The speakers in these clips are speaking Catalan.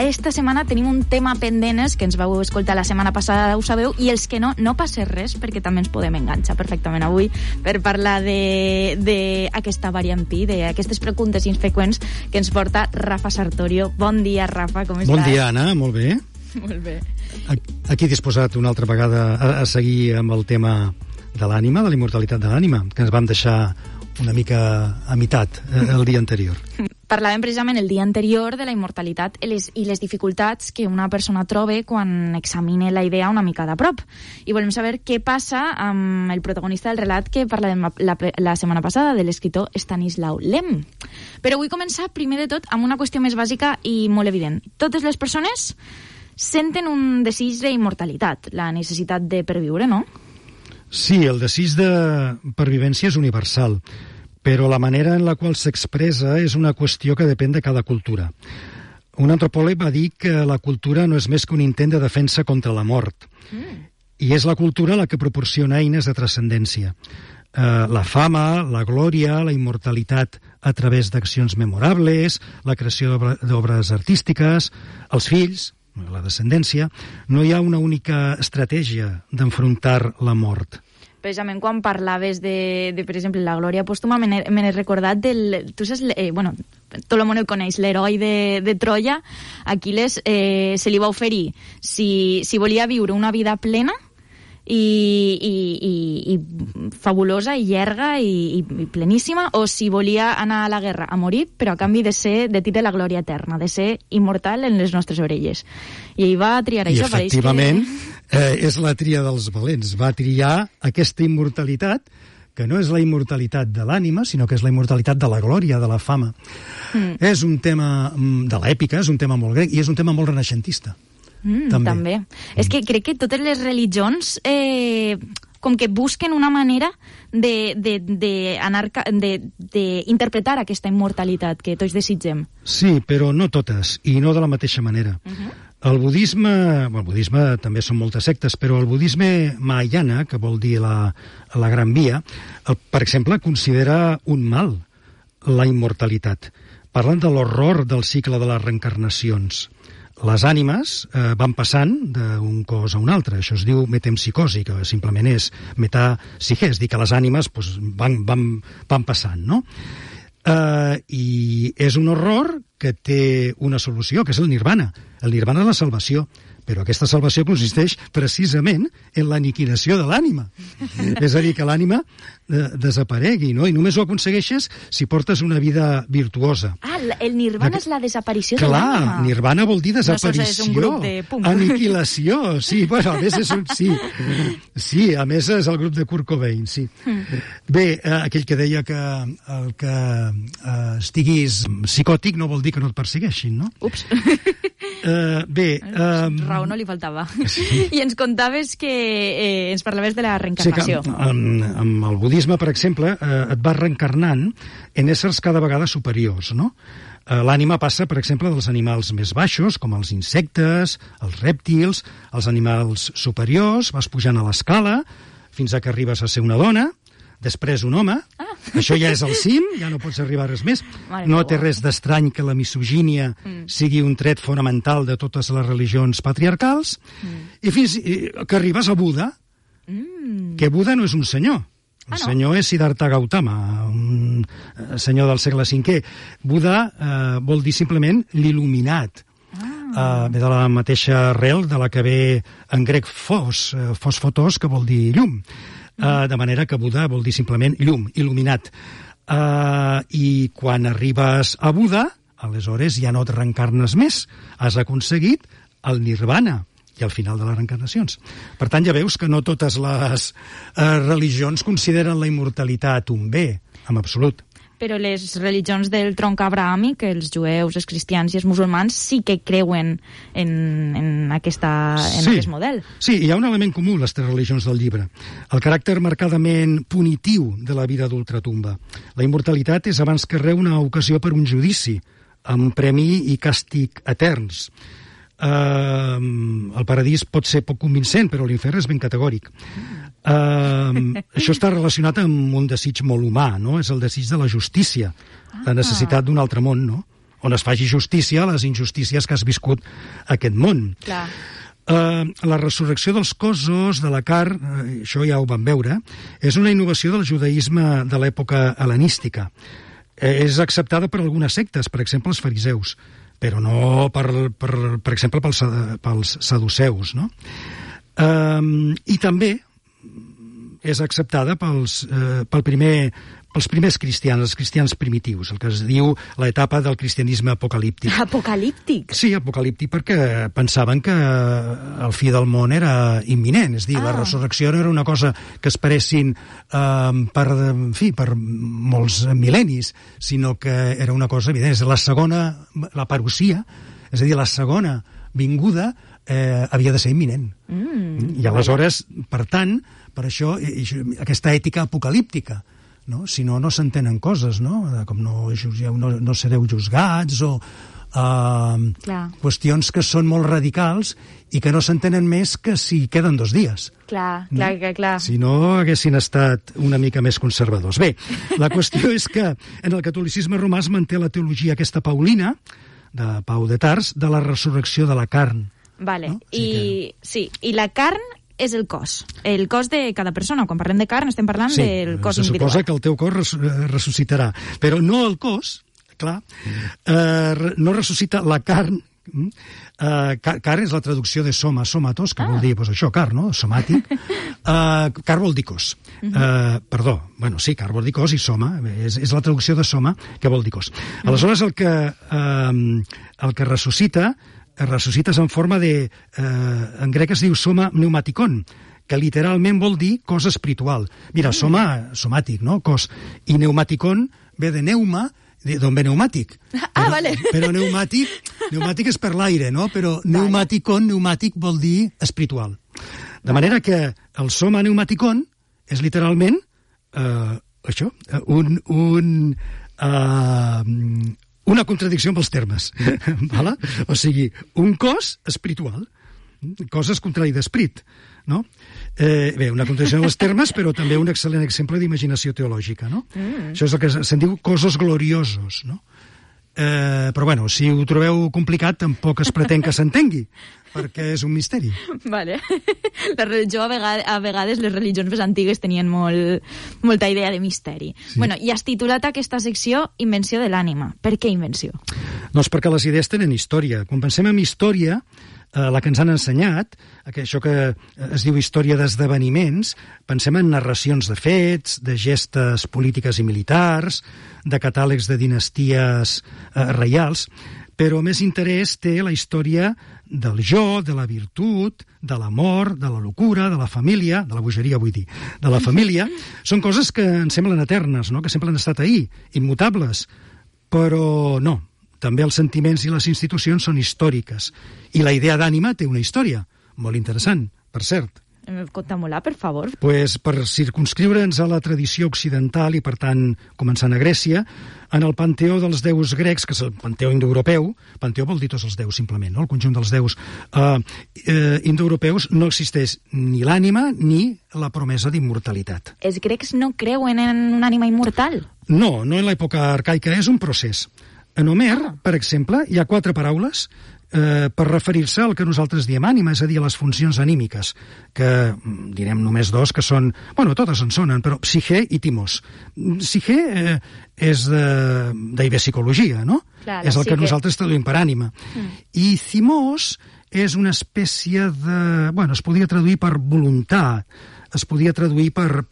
esta setmana tenim un tema pendent que ens vau escoltar la setmana passada, ho sabeu, i els que no passa res, perquè també ens podem enganxar perfectament avui per parlar d'aquesta variant pi, d'aquestes preguntes infreqüents que ens porta Rafa Sartorio. Bon dia, Rafa, com estàs? Bon dia, Anna, molt bé. Molt bé. Aquí disposat una altra vegada a seguir amb el tema de l'ànima, de la immortalitat de l'ànima, que ens vam deixar una mica a meitat el dia anterior. Parlàvem precisament el dia anterior de la immortalitat i les dificultats que una persona troba quan examina la idea una mica de prop. I volem saber què passa amb el protagonista del relat que parlàvem la setmana passada, de l'escriptor Stanislau Lem. Però vull començar, primer de tot, amb una qüestió més bàsica i molt evident. Totes les persones senten un desig d'immortalitat, la necessitat de perviure, no? Sí, el desig de pervivència és universal, però la manera en la qual s'expressa és una qüestió que depèn de cada cultura. Un antropòleg va dir que la cultura no és més que un intent de defensa contra la mort, i és la cultura la que proporciona eines de transcendència. La fama, la glòria, la immortalitat a través d'accions memorables, la creació d'obres artístiques, els fills, la descendència. No hi ha una única estratègia d'enfrontar la mort. Precisament quan parlaves de per exemple, la glòria pòstuma, me n'he recordat del... Tu saps, tot el món el coneix, l'heroi de Troia. Aquiles se li va oferir si volia viure una vida plena i fabulosa i llarga i pleníssima, o si volia anar a la guerra a morir, però a canvi de tindre la glòria eterna, de ser immortal en les nostres orelles. I ell va triar això. I efectivament és la tria dels valents. Va triar aquesta immortalitat, que no és la immortalitat de l'ànima, sinó que és la immortalitat de la glòria, de la fama. És un tema de l'èpica, és un tema molt grec i és un tema molt renaixentista. També. És que crec que totes les religions com que busquen una manera d'interpretar aquesta immortalitat que tots desitgem. Sí, però no totes, i no de la mateixa manera. El budisme també són moltes sectes, però el budisme mahayana, que vol dir la Gran Via, per exemple, considera un mal la immortalitat. Parlen de l'horror del cicle de les reencarnacions. Les ànimes van passant d'un cos a un altre. Això es diu metempsicosi, que simplement és metapsique, és dir, que les ànimes van passant, no? I és un horror que té una solució, que és el nirvana. El nirvana és la salvació, però aquesta salvació consisteix precisament en l'aniquilació de l'ànima. És a dir, que l'ànima desaparegui, no? I només ho aconsegueixes si portes una vida virtuosa. El nirvana és la desaparició de l'ànima. Clar, nirvana vol dir desaparició. No, és un grup de punk. Aniquilació, sí. Bueno, a més és un... Sí, a més és el grup de Kurt Cobain, sí. Bé, aquell que deia que el que estiguis psicòtic no vol dir que no et persegueixin, no? Ups. Bé... Raó no li faltava. Sí. I ens contaves que ens parlaves de la reencarnació. Sí, que amb el budisme, per exemple, et vas reencarnant en éssers cada vegada superiors, no? L'ànima passa, per exemple, dels animals més baixos, com els insectes, els rèptils, els animals superiors, vas pujant a l'escala fins a que arribes a ser una dona, després un home. Això ja és el cim, ja no pots arribar a res més. No té res d'estrany que la misogínia sigui un tret fonamental de totes les religions patriarcals, i fins que arribes a Buda, que Buda no és un senyor. El senyor és Siddhartha Gautama, un senyor del segle V. Buda vol dir simplement l'il·luminat. Ve de la mateixa arrel de la que ve en grec fos fotos, que vol dir llum. De manera que Buda vol dir simplement llum, il·luminat. I quan arribes a Buda, aleshores ja no et reencarnes més. Has aconseguit el nirvana i al final de les reencarnacions. Per tant, ja veus que no totes les religions consideren la immortalitat un bé, en absolut. Però les religions del tronc abrahàmic, els jueus, els cristians i els musulmans, sí que creuen en aquest model. Sí, hi ha un element comú a les tres religions del llibre. El caràcter marcadament punitiu de la vida d'ultratumba. La immortalitat és abans que res una ocasió per un judici, amb premi i càstig eterns. El paradís pot ser poc convincent, però l'infern és ben categòric. Això està relacionat amb un desig molt humà, no? És el desig de la justícia, la necessitat d'un altre món, no? on es faci justícia a les injustícies que has viscut a aquest món. Clar. La resurrecció dels cossos, de la carn, això ja ho vam veure, és una innovació del judaïsme de l'època hel·lenística. És acceptada per algunes sectes, per exemple els fariseus, però no, per exemple, pels saduceus, no? I també és acceptada pels primers cristians, els cristians primitius, el que es diu l'etapa del cristianisme apocalíptic. Apocalíptic? Sí, apocalíptic, perquè pensaven que el fi del món era imminent, és a dir, la resurrecció no era una cosa que esperessin per molts mil·lennis, sinó que era una cosa evident. La parusia, és a dir, la segona vinguda havia de ser imminent. I aleshores, per tant, per això, aquesta ètica apocalíptica, no? Si no, no s'entenen coses, no? Com no sereu juzgats o qüestions que són molt radicals i que no s'entenen més que si queden 2 dies. Clar. Si no, haguessin estat una mica més conservadors. Bé, la qüestió és que en el catolicisme romà es manté la teologia aquesta paulina, de Pau de Tars, de la resurrecció de la carn. Vale, no? I la carn és el cos de cada persona. Quan parlem de carn estem parlant del cos individual. Sí, se suposa que el teu cos ressuscitarà, però no el cos, clar, no ressuscita la carn. Carn és la traducció de soma, somatos, que vol dir això, carn, no? Somàtic. Carn vol dir cos. Carn vol dir cos i soma, és la traducció de soma que vol dir cos. Aleshores, el que ressuscites en forma de... en grec es diu soma pneumaticon, que literalment vol dir cos espiritual. Mira, soma, somàtic, no? Cos. I pneumaticon ve de neuma, d'on ve pneumàtic. Vale. Però pneumàtic és per l'aire, no? Però pneumaticon, pneumàtic vol dir espiritual. De manera que el soma pneumaticon és literalment això, una contradicció amb els termes. Vale? O sigui, un cos espiritual. Cos és contrari d'esperit, no? Bé, una contradicció amb els termes, però també un excel·lent exemple d'imaginació teològica, no? Això és el que se'n diu cossos gloriosos, no? Però, bueno, si ho trobeu complicat, tampoc es pretén que s'entengui, perquè és un misteri. Vale. La religió, a vegades, les religions més antigues tenien molta idea de misteri. Sí. Bueno, i has titulat aquesta secció Invenció de l'ànima. Per què invenció? Doncs perquè les idees tenen història. Quan pensem en història, la que ens han ensenyat, això que es diu història d'esdeveniments, pensem en narracions de fets, de gestes polítiques i militars, de catàlegs de dinasties reials, però més interès té la història del jo, de la virtut, de l'amor, de la locura, de la família, de la bogeria vull dir, de la família. Són coses que ens semblen eternes, no? Que sempre han estat ahí, immutables, però no. També els sentiments i les institucions són històriques. I la idea d'ànima té una història, molt interessant, per cert. Conta-m'ho-la, per favor. Pues, per circumscriure'ns a la tradició occidental i, per tant, començant a Grècia, en el panteó dels déus grecs, que és el panteó indoeuropeu, panteó vol dir tots els déus, simplement, no? El conjunt dels déus indoeuropeus, no existeix ni l'ànima ni la promesa d'immortalitat. Els grecs no creuen en una ànima immortal? No, no en l'època arcaica, és un procés. En Homer, per exemple, hi ha 4 paraules per referir-se al que nosaltres diem ànima, és a dir, a les funcions anímiques, que direm només 2, que són... Bueno, totes en sonen, però psique i timos. Psique és psicologia, no? Clar, és el que nosaltres traduïm per ànima. I thimos és una espècie de... Bueno, es podria traduir per voluntat, es podria traduir per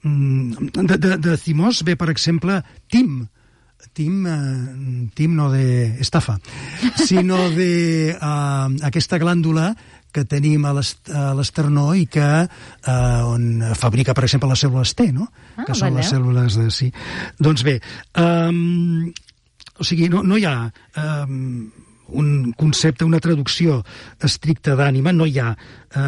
de thimos ve, per exemple, tim no de estafa, sinó de aquesta glàndula que tenim a l'esternó i que on fabrica, per exemple, les cèl·lules T, no? Que són les cèl·lules de... Sí. Doncs bé, o sigui, no hi ha un concepte, una traducció estricta d'ànima, no hi ha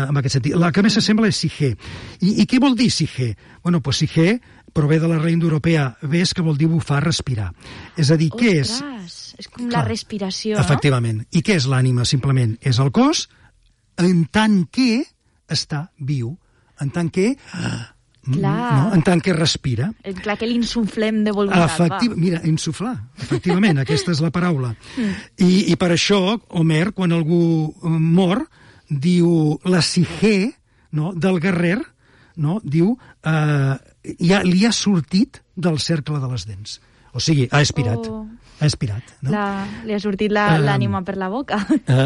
en aquest sentit. La que més s'assembla és psique. I què vol dir psique? Bueno, doncs psique prové de la raïl indoeuropea ves, que vol dir bufar, respirar. És a dir, què és... És com la respiració, efectivament. I què és l'ànima? Simplement és el cos en tant que està viu, en tant que Clar. en tant que respira. Clar que l'insuflem de voluntat, Mira, insuflar, efectivament, aquesta és la paraula. I per això, Homer, quan algú mor, diu la psique, no, del guerrer, no, diu li ha sortit del cercle de les dents. O sigui, ha expirat. Ha expirat, no? Li ha sortit l'ànima per la boca.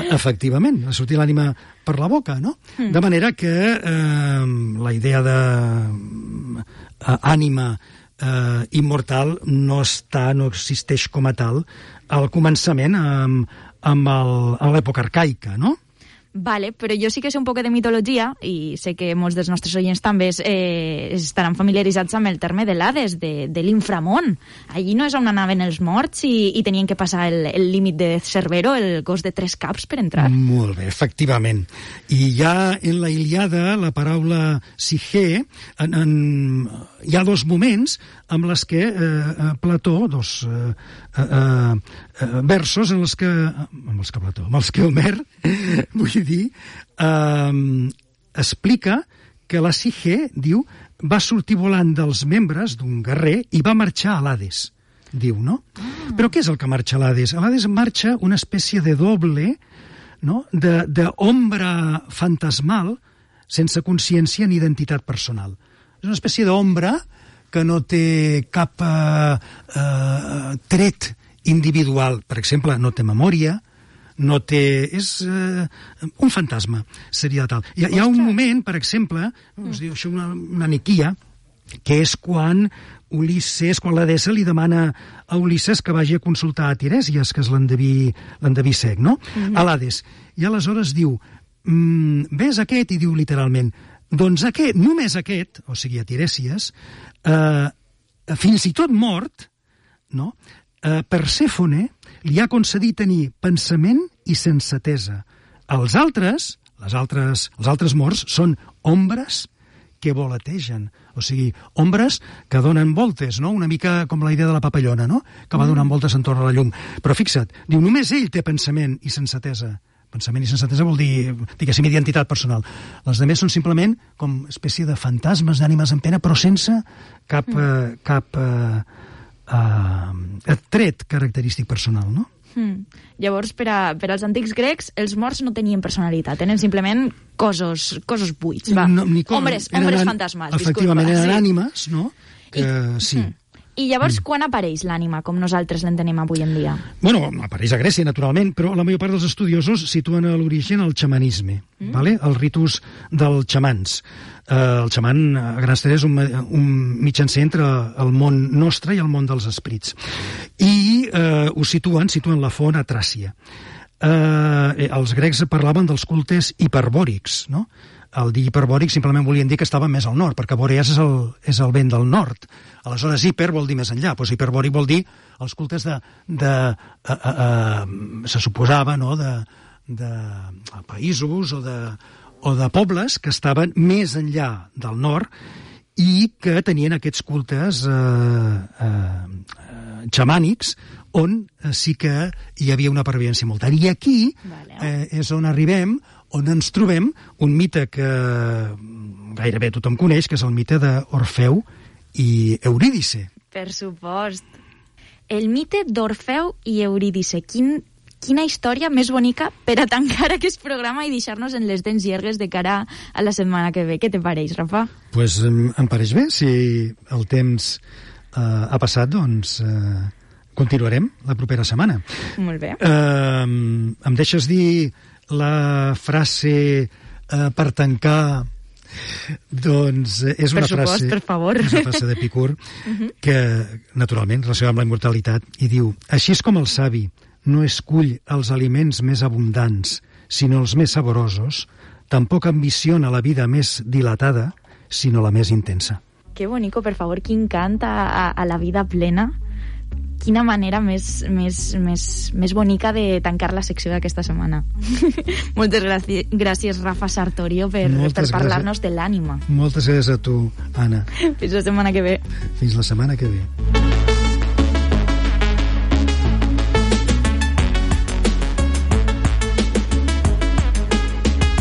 Efectivament, ha sortit l'ànima per la boca, no? De manera que la idea d'ànima immortal no existeix com a tal al començament amb l'època arcaica, no? Vale, però jo sí que sé un poc de mitologia i sé que molts dels nostres oients també estaran familiaritzats amb el terme de l'Hades, de l'inframón. Allí no és on anaven els morts i tenien que passar el límit de Cerbero, el gos de 3 caps, per entrar. Molt bé, efectivament. I ja en la Ilíada, la paraula psique, hi ha 2 moments amb les que Plató, 2 versos amb els que Homer, vull dir, explica que la psique, diu, va sortir volant dels membres d'un guerrer i va marxar a l'Hades, diu, no? Però què és el que marxa a l'Hades? A l'Hades marxa una espècie de doble, no?, d'ombra fantasmal sense consciència ni identitat personal. És una espècie d'ombra que no té cap tret individual. Per exemple, no té memòria, no té... és un fantasma, seria tal. Hi ha un moment, per exemple, us diu això, una niquia, que és quan la deessa li demana a Ulisses que vagi a consultar a Tirèsies, que és l'endeví cec, no? A l'Hades. I aleshores diu, ves aquest, i diu literalment, doncs aquest, només aquest, o sigui, a Tirèsies, fins i tot mort, no?, Persèfone li ha concedit tenir pensament i sensatesa. Els altres morts són ombres que volategen, o sigui, ombres que donen voltes, no? Una mica com la idea de la papallona, no?, que va donant voltes entorn a la llum. Però fixa't, diu, només ell té pensament i sensatesa. Pensament i sensatesa vol dir, diguéssim, identitat personal. Les altres són simplement com espècie de fantasmes, d'ànimes en pena, però sense cap tret característic personal, no? Llavors, per als antics grecs, els morts no tenien personalitat, tenen simplement cossos buits, va. Ombres fantasmals. Efectivament, eren ànimes, no? Sí. I llavors, quan apareix l'ànima, com nosaltres l'entenem avui en dia? Bueno, apareix a Grècia, naturalment, però la major part dels estudiosos situen a l'origen el xamanisme, vale? El ritus dels xamans. El xaman, a grans trets, és un mitjancer entre el món nostre i el món dels esprits. I ho situen la font a Tràcia. Els grecs parlaven dels cultes hiperbòrics, no? El dir hiperbòric simplement volien dir que estava més al nord, perquè Boreas és el vent del nord. Aleshores, hiper vol dir més enllà. Doncs hiperbòric vol dir els cultes se suposava, no?, de països o de pobles que estaven més enllà del nord i que tenien aquests cultes xamànics on sí que hi havia una pervivència molt gran. I aquí és on arribem, on ens trobem un mite que gairebé tothom coneix, que és el mite d'Orfeu i Eurídice. Per supost. El mite d'Orfeu i Eurídice. Quina història més bonica per a tancar aquest programa i deixar-nos en les dents llargues de cara a la setmana que ve. Què te pareix, Rafa? Pues em pareix bé. Si el temps ha passat, doncs continuarem la propera setmana. Molt bé. Em deixes dir la frase per tancar? Doncs és una frase... Per favor. És una frase d'Epicur que, naturalment, relaciona amb la immortalitat, i diu: així és com el savi no escull els aliments més abundants, sinó els més saborosos, tampoc ambiciona la vida més dilatada, sinó la més intensa. Que bonico, per favor, quin cant a la vida plena. Quina manera més bonica de tancar la secció d'aquesta setmana. Moltes gràcies, Rafa Sartorio, per parlar-nos de l'ànima. Moltes gràcies a tu, Anna. Fins la setmana que ve. Fins la setmana que ve.